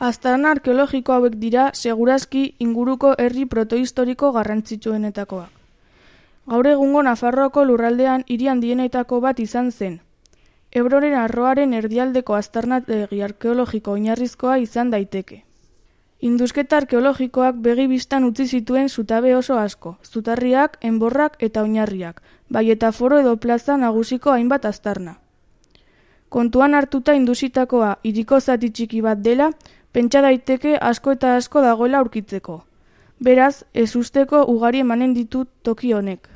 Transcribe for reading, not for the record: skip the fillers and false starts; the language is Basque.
Aztarna arkeologiko hauek dira segurazki inguruko herri protohistoriko garrantzitsuenetakoak. Gaur egungo Nafarroako lurraldean hiri handienetako bat izan zen. Ebroren arroaren erdialdeko aztarnategi arkeologiko oinarrizkoa izan daiteke. Indusketa arkeologikoak begi bistan utzi zituen zutabe oso asko, zutarriak, enborrak eta oinarriak, bai eta foro edo plaza nagusiko hainbat aztarna. Kontuan hartuta indusitakoa hiriko zati txiki bat dela, pentsa daiteke asko eta asko dagoela aurkitzeko. Beraz, ezusteko ugari emanen ditut toki honek.